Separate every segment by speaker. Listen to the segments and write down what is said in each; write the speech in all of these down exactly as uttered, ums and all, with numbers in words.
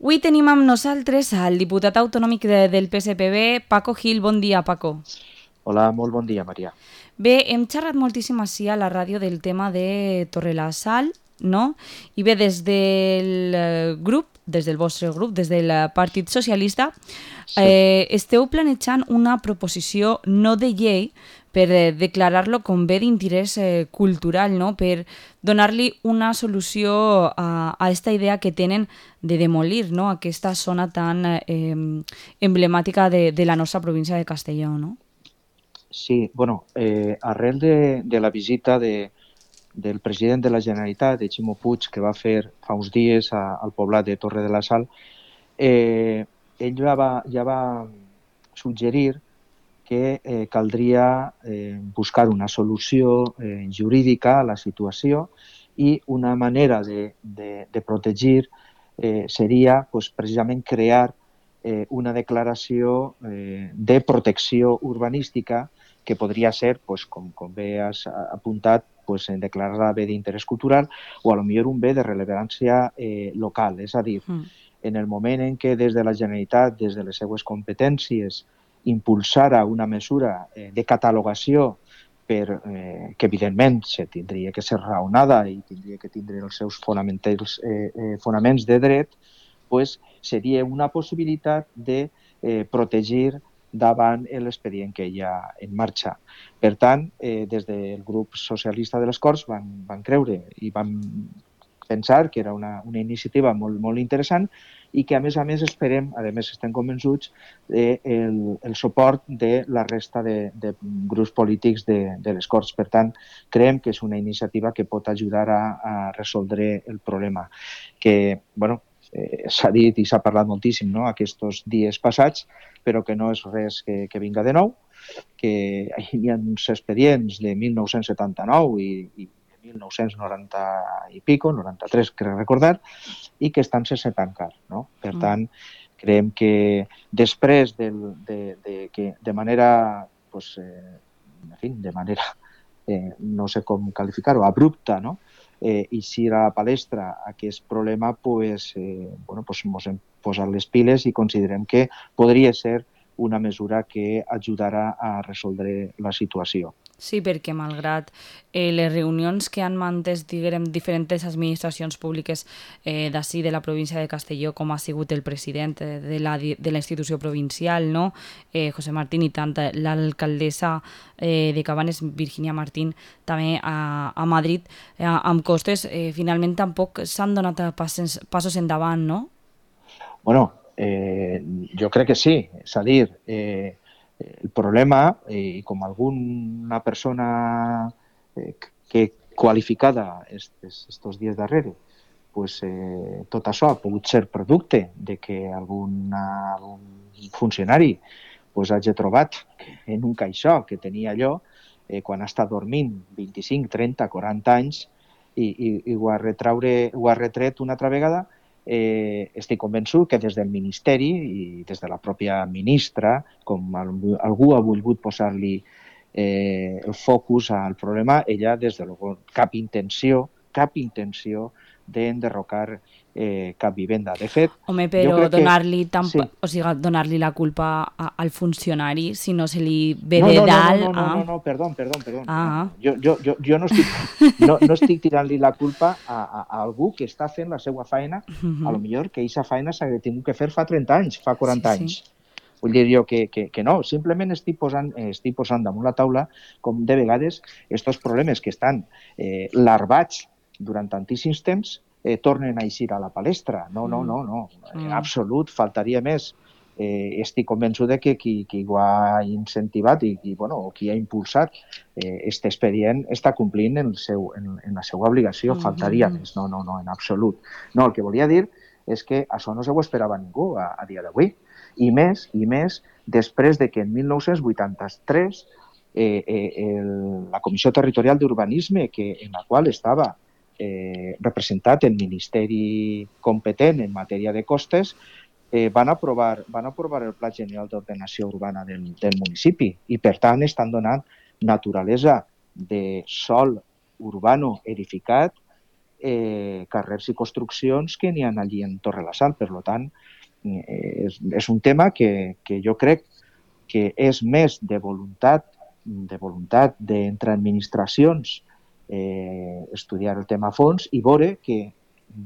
Speaker 1: Avui tenim amb nosaltres el diputat autonòmic de, del P S P B, Paco Gil. Bon dia, Paco.
Speaker 2: Hola, molt bon dia, Maria.
Speaker 1: Bé, hem xerrat moltíssim així a la ràdio del tema de Torrelasal, no? I bé, des del grup, des del vostre grup, des del Partit Socialista,
Speaker 2: Sí.
Speaker 1: eh, esteu planejant una proposició no de llei per eh, declarar-lo com bé d'interès eh, cultural, no? Per donar-li una solució a, a esta idea que tenen de demolir, no? Aquesta zona tan eh, emblemàtica de, de la nostra província de Castelló, no?
Speaker 2: Sí, bueno, eh, arrel de, de la visita de, del president de la Generalitat, de Ximo Puig, que va fer fa uns dies a, al poblat de Torre de la Sal, eh, ell ja va, ja va suggerir que eh, caldria eh, buscar una solució eh, jurídica a la situació i una manera de, de, de protegir eh, seria pues, precisament crear eh, una declaració eh, de protecció urbanística que podria ser, pues, com, com bé has apuntat, pues, declarar-la bé d'interès cultural o a lo millor un bé de rellevància eh, local. És a dir, mm. en el moment en què des de la Generalitat, des de les seues competències, impulsara una mesura eh, de catalogació per, eh, que evidentment se tindria que ser raonada i tindria que tindre els seus fonaments, eh, eh, fonaments de dret, pues, seria una possibilitat de eh, protegir davant l'expedient que hi ha en marxa. Per tant, eh, des del grup socialista de les Corts van, van creure i van pensar que era una, una iniciativa molt, molt interessant i que, a més a més, esperem, a més estem convençuts, del de el suport de la resta de, de grups polítics de, de les Corts. Per tant, creiem que és una iniciativa que pot ajudar a, a resoldre el problema. Que, bueno, eh, s'ha dit i s'ha parlat moltíssim, no?, aquests dies passats, però que no és res que, que vinga de nou, que hi ha uns expedients de mil nou-cents setanta-nou i, i mil nou-cents noranta i pico, noranta-tres, crec recordar, i que estan sense tancar, no? Per tant, creiem que després del, de, de, que de manera, pues, eh, en fi, de manera, eh, no sé com qualificar-ho, abrupta, no?, eh, eixir a la palestra aquest problema, pues, eh, bueno, pues, ens hem posat les piles i considerem que podria ser una mesura que ajudarà a resoldre la situació.
Speaker 1: Sí, perquè malgrat eh, les reunions que han mantès, diguem, diferents administracions públiques eh, d'ací, de la província de Castelló, com ha sigut el president de la, de la institució provincial, no? eh, José Martín, i tant l'alcaldessa eh, de Cabanes, Virginia Martín, també a, a Madrid, eh, amb costes, eh, finalment tampoc s'han donat passos, passos endavant, no?
Speaker 2: Bueno, eh, jo crec que sí, és a dir, eh, el problema, i eh, com alguna persona eh, que qualificada estos dies darrere, pues, eh, tot això ha pogut ser producte de que alguna, algun funcionari pues, hagi trobat en un caixó que tenia allò eh, quan ha estat dormint vint-i-cinc, trenta, quaranta anys i, i, i ho, ha retraure, ho ha retret una altra vegada. Eh, estic convençut que des del Ministeri i des de la pròpia ministra, com algú ha volgut posar-li eh, el focus al problema, ella, des de luego, cap intenció, cap intenció d'enderrocar eh, cap vivenda. De fet,
Speaker 1: Home, però donar-li que...
Speaker 2: sí.
Speaker 1: o sigui, donar-li la culpa a, al funcionari si no se li ve
Speaker 2: no,
Speaker 1: de
Speaker 2: no,
Speaker 1: dalt...
Speaker 2: No, no, no,
Speaker 1: ah.
Speaker 2: no, no, perdó, perdó, perdó.
Speaker 1: Ah.
Speaker 2: No. Jo, jo, jo, jo no estic, no, no estic tirant-li la culpa a, a, a algú que està fent la seva feina, uh-huh. A lo millor que aquesta feina s'ha tingut que fer fa trenta anys, fa quaranta sí, anys. Sí. Vull dir jo que, que, que no, simplement estic posant, estic posant damunt la taula com de vegades aquests problemes que estan eh, larvats durant tantíssims temps eh, tornen a eixir a la palestra. No, no, no, no. En absolut, faltaria més. Eh, estic convençut de que qui, qui ho ha incentivat i, i bueno, qui ha impulsat aquest eh, expedient està complint en, el seu, en, en la seva obligació. Mm-hmm. Faltaria més. No, no, no, en absolut. No, el que volia dir és que això no se ho esperava ningú a, a dia d'avui. I més, i més, després de que en mil nou-cents vuitanta-tres eh, eh, el, la Comissió Territorial d'Urbanisme, que, en la qual estava eh, representat el Ministeri competent en matèria de costes, eh, van, aprovar, van aprovar el Pla General d'Ordenació Urbana del, del municipi i, per tant, estan donant naturalesa de sòl urbano edificat eh, carrers i construccions que n'hi ha allí en Torre-la-Sal. Per tant, eh, és, és un tema que, que jo crec que és més de voluntat de voluntat d'entre administracions eh, estudiar el tema a fons i veure que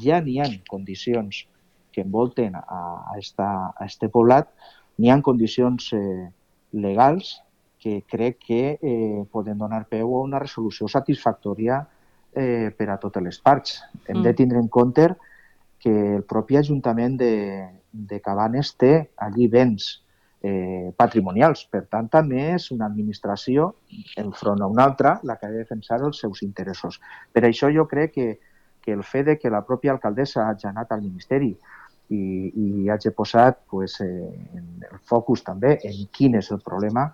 Speaker 2: ja n'hi ha condicions que envolten a, a, esta, a este poblat, n'hi ha condicions eh, legals que crec que eh, poden donar peu a una resolució satisfactòria eh, per a totes les parts. Hem mm. de tindre en compte que el propi Ajuntament de, de Cabanes té allí béns eh, patrimonials. Per tant, també és una administració, enfront a una altra, la que ha de defensar els seus interessos. Per això jo crec que, que el fet de que la pròpia alcaldessa hagi anat al Ministeri i, i hagi posat pues, eh, el focus també en quin és el problema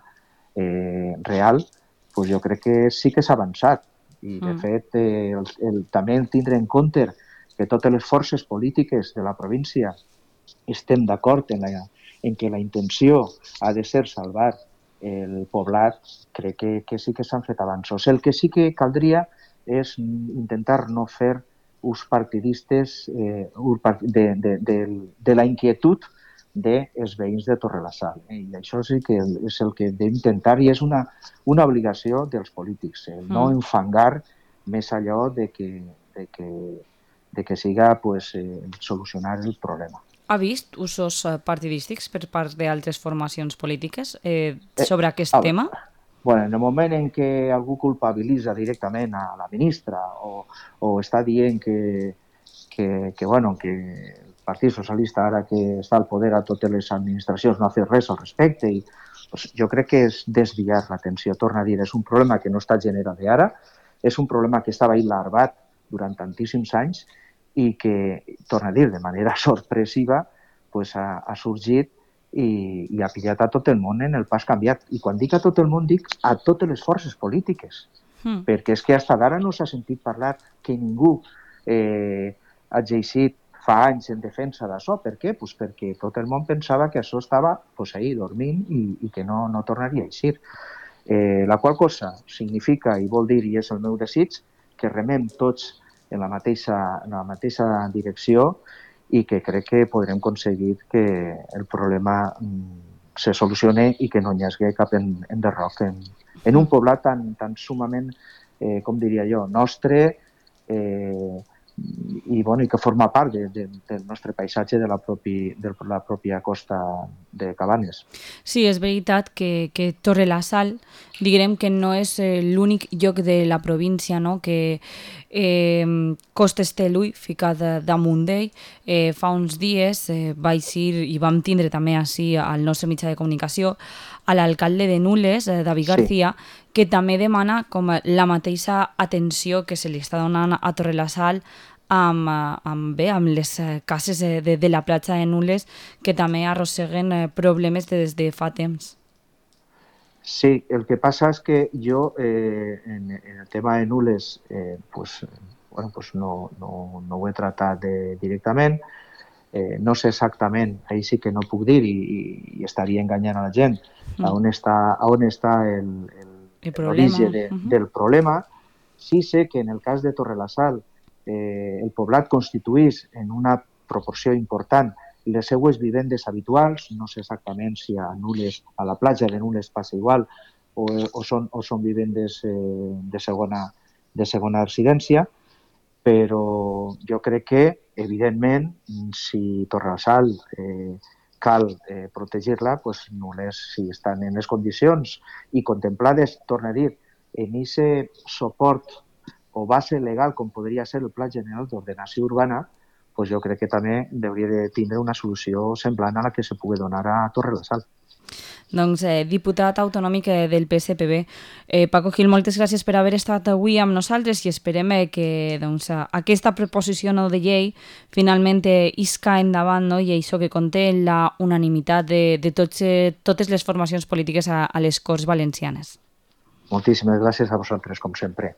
Speaker 2: eh, real, pues jo crec que sí que s'ha avançat. I, de mm. fet, eh, el, el, també tindre en compte que totes les forces polítiques de la província estem d'acord en, la, en que la intenció ha de ser salvar el poblat, crec que, que sí que s'han fet avanços. El que sí que caldria és intentar no fer ús partidistes eh, de, de, de, de la inquietud dels veïns de Torre-la-Sal. Eh? I això sí que és el que hem d'intentar i és una, una obligació dels polítics, eh? no mm. enfangar més allò de que, de que, de que siga pues, eh, solucionar el problema.
Speaker 1: Ha vist usos partidístics per part d'altres formacions polítiques eh, sobre aquest eh, tema?
Speaker 2: Bueno, en el moment en què algú culpabilitza directament a la ministra o, o està dient que, que, que, bueno, que el Partit Socialista, ara que està al poder a totes les administracions, no ha fet res al respecte, i pues, jo crec que és desviar l'atenció. Torna a dir, és un problema que no està generat d'ara, és un problema que estava larvat durant tantíssims anys i que, torna a dir, de manera sorpresiva, pues, ha, ha sorgit i, i ha pillat a tot el món en el pas canviat. I quan dic a tot el món, dic a totes les forces polítiques, mm. perquè és que fins d'ara no s'ha sentit parlar que ningú eh, ha exercit fa anys en defensa d'això. Per què? Pues perquè tot el món pensava que això estava pues, ahí dormint i, i que no, no tornaria a eixir. Eh, la qual cosa significa, i vol dir, i és el meu desig, que remem tots en la mateixa, en la mateixa direcció i que crec que podrem aconseguir que el problema mm, se solucione i que no hi hagi cap en, enderroc en, en un poblat tan, tan sumament, eh, com diria jo, nostre, eh, i, bueno, i que forma part de, de, del nostre paisatge de la, propi, de la pròpia costa de Cabanes.
Speaker 1: Sí, és veritat que, que Torre-la-Sal, diguem que no és eh, l'únic lloc de la província, no? que eh, Costes té l'ull ficat damunt d'ell. Eh, fa uns dies eh, vaig ir i vam tindre també així al nostre mitjà de comunicació a l'alcalde de Nules, eh, David García, sí. que també demana com la mateixa atenció que se li està donant a Torre-la-Sal amb, amb, bé, amb les cases de, de la platja de Nules, que també arrosseguen problemes des de fa temps.
Speaker 2: Sí, el que passa és que jo eh, en, en el tema de Nules eh, pues, bueno, pues no, no, no ho he tratat de, directament. Eh, no sé exactament, ahí sí que no puc dir i, i estaria enganyant a la gent mm. a on està, a on està el, el, el l'origen de, uh-huh. del problema. Sí sé que en el cas de Torre-la-Sal eh, el poblat constituís en una proporció important les seues vivendes habituals, no sé exactament si a Nules, a la platja de Nules passa igual o, o, són, o són vivendes eh, de, segona, de segona residència, però jo crec que, evidentment, si Torre-la-Sal eh, cal eh, protegir-la, pues Nules, si estan en les condicions i contemplades, torna a dir, en aquest suport o base legal com podria ser el Pla General d'Ordenació Urbana, pues jo crec que també hauria de tindre una solució semblant a la que se pugui donar a Torre-la-Sal.
Speaker 1: Doncs, eh, diputat autonòmic del P S P B, eh, Paco Gil, moltes gràcies per haver estat avui amb nosaltres i esperem eh, que doncs, aquesta proposició no de llei finalment eh, isca endavant, no? I això que conté la unanimitat de, de tots, eh, totes les formacions polítiques a, a les Corts Valencianes.
Speaker 2: Moltíssimes gràcies a vosaltres, com sempre.